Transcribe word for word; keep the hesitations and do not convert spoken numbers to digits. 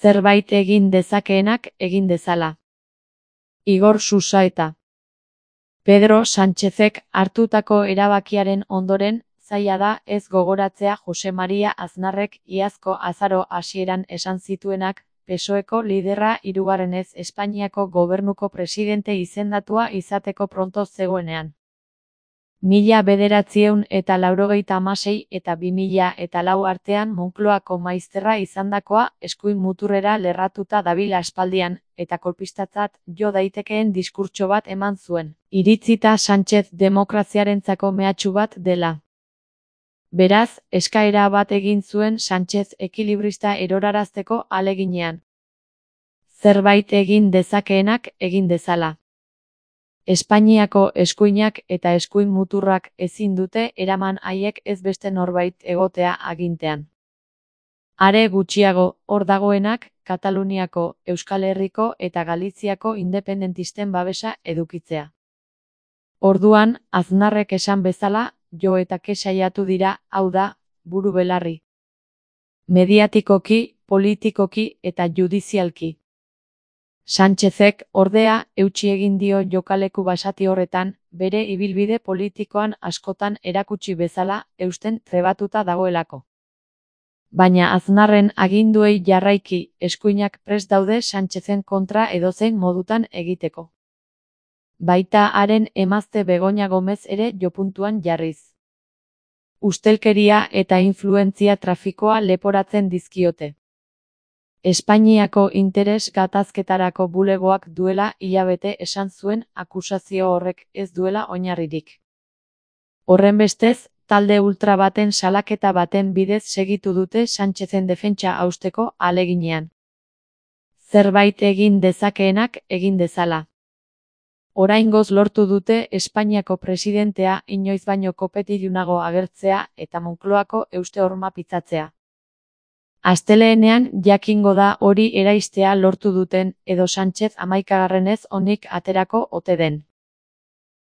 Zerbait egin dezakeenak egin dezala. Igor Susaeta. Pedro Sánchezek hartutako erabakiaren ondoren, zaila da ez gogoratzea Jose Maria Aznarrek iazko azaro hasieran esan zituenak, P S O Eko liderra hirugarrenez Espainiako gobernuko presidente izendatua izateko pronto zegoenean. Mila bederatziehun eta laurogeita hamasei eta bi mila eta lau artean Moncloako maizterra izandakoa eskuin muturrera lerratuta dabil aspaldian, eta kolpistatzat jo daitekeen diskurtso bat eman zuen, iritzita Sánchez demokraziarentzako mehatxu bat dela. Beraz, eskaera bat egin zuen Sánchez ekilibrista erorarazteko ahaleginean. Zerbait egin dezakeenak egin dezala. Espainiako eskuinak eta eskuin muturrak ezin dute eraman haiek ez beste norbait egotea agintean. Are gutxiago, hor dagoenak, Kataluniako, Euskal Herriko eta Galiziako independentisten babesa edukitzea. Orduan, Aznarrek esan bezala, jo eta ke saiatu dira, hau da, buru belarri. Mediatikoki, politikoki eta judizialki. Sánchezek, ordea, eutsi egin dio jokaleku basati horretan, bere ibilbide politikoan askotan erakutsi bezala, eusten trebatuta dagoelako. Baina Aznarren aginduei jarraiki, eskuinak prest daude Sánchezen kontra edozein modutan egiteko. Baita haren emazte Begoña Gomez ere jopuntuan jarriz. Ustelkeria eta influentzia trafikoa leporatzen dizkiote. Espainiako interes gatazketarako bulegoak duela hilabete esan zuen akusazio horrek ez duela oinarririk. Horrenbestez, talde ultra baten salaketa baten bidez segitu dute Sánchezen defentsa hausteko ahaleginean. Zerbait egin dezakeenak egin dezala. Oraingoz lortu dute Espainiako presidentea inoiz baino kopetilunago agertzea eta Moncloako euste horma pitzatzea. Asteleenean jakingo da hori eraistea lortu duten edo Sánchez hamaikagarrenez onik aterako ote den.